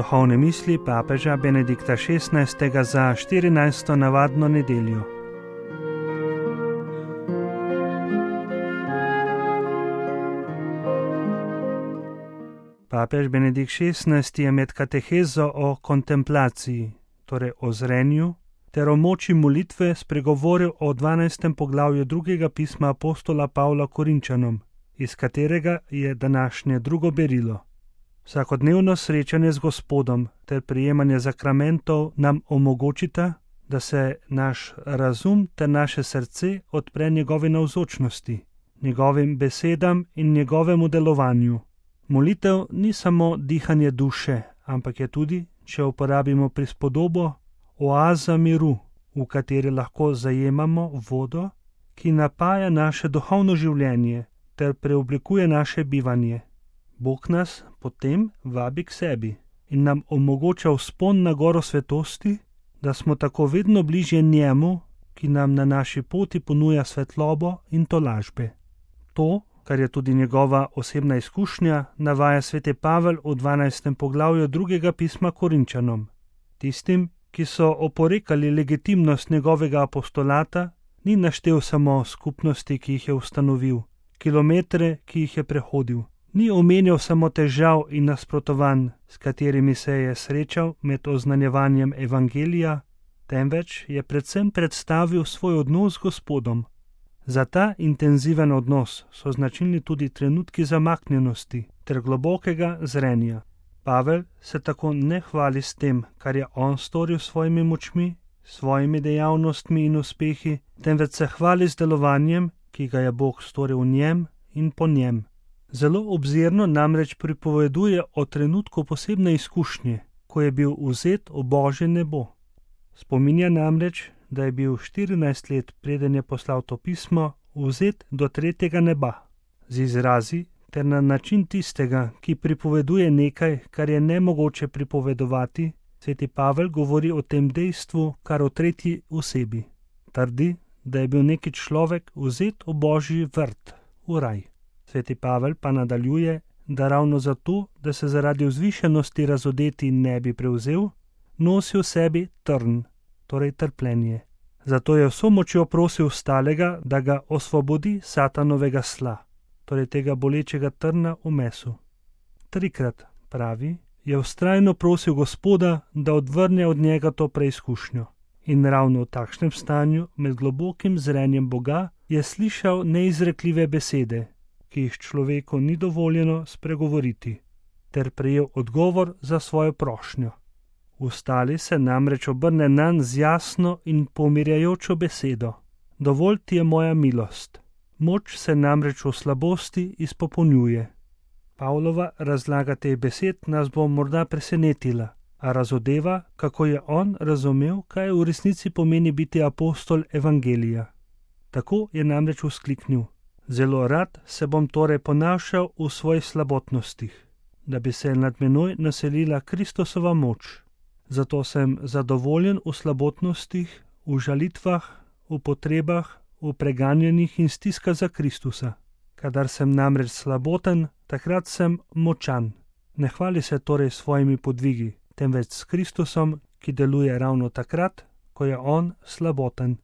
Duhovne misli papeža Benedikta XVI. Za 14. navadno nedeljo. Papež Benedikt XVI. Je med katehezo o kontemplaciji, torej o zrenju, ter o moči molitve spregovoril o 12. poglavju drugega pisma apostola Pavla Korinčanom, iz katerega je današnje drugo berilo. Vsakodnevno srečanje z Gospodom ter prijemanje zakramentov nam omogočita, da se naš razum ter naše srce odpre njegovi navzočnosti, njegovim besedam in njegovemu delovanju. Molitev ni samo dihanje duše, ampak je tudi, če uporabimo prispodobo, oaza miru, v kateri lahko zajemamo vodo, ki napaja naše duhovno življenje ter preoblikuje naše bivanje. Bog nas potem vabi k sebi in nam omogoča vzpon na goro svetosti, da smo tako vedno bližje njemu, ki nam na naši poti ponuja svetlobo in tolažbe. To, kar je tudi njegova osebna izkušnja, navaja sveti Pavel v 12. poglavju drugega pisma Korinčanom. Tistim, ki so oporekali legitimnost njegovega apostolata, ni naštel samo skupnosti, ki jih je ustanovil, kilometre, ki jih je prehodil. Ni omenjal samo težav in nasprotovanj, s katerimi se je srečal med oznanjevanjem evangelija, temveč je predvsem predstavil svoj odnos z Gospodom. Za ta intenziven odnos so značilni tudi trenutki zamaknjenosti ter globokega zrenja. Pavel se tako ne hvali s tem, kar je on storil s svojimi močmi, svojimi dejavnostmi in uspehi, temveč se hvali z delovanjem, ki ga je Bog storil v njem in po njem. Zelo obzirno namreč pripoveduje o trenutku posebne izkušnje, ko je bil vzet v Božje nebo. Spominja namreč, da je bil 14 let, preden je poslal to pismo, vzet do tretjega neba. Z izrazi ter na način tistega, ki pripoveduje nekaj, kar je nemogoče pripovedovati, sveti Pavel govori o tem dejstvu kar o tretji osebi. Trdi, da je bil neki človek vzet v Božji vrt, v raj. Sveti Pavel pa nadaljuje, da ravno zato, da se zaradi vzvišenosti razodeti ne bi prevzel, nosi v sebi trn, torej trpljenje. Zato je vso močjo prosil stalega, da ga osvobodi satanovega sla, torej tega bolečega trna v mesu. 3krat, pravi, je vztrajno prosil Gospoda, da odvrne od njega to preizkušnjo. In ravno v takšnem stanju, med globokim zrenjem Boga, je slišal neizrekljive besede, ki jih človeku ni dovoljeno spregovoriti, ter prejel odgovor za svojo prošnjo. Ustali se namreč obrne nanj z jasno in pomirjajočo besedo. Dovolj ti je moja milost. Moč se namreč v slabosti izpopolnjuje. Pavlova razlaga teh besed nas bo morda presenetila, a razodeva, kako je on razumel, kaj v resnici pomeni biti apostol evangelija. Tako je namreč vzkliknil: zelo rad se bom torej ponašal v svojih slabotnostih, da bi se nad menoj naselila Kristusova moč. Zato sem zadovoljen v slabotnostih, v žalitvah, v potrebah, v preganjanjih in stiskah za Kristusa. Kadar sem namreč slaboten, takrat sem močan. Ne hvali se torej svojimi podvigi, temveč s Kristusom, ki deluje ravno takrat, ko je on slaboten.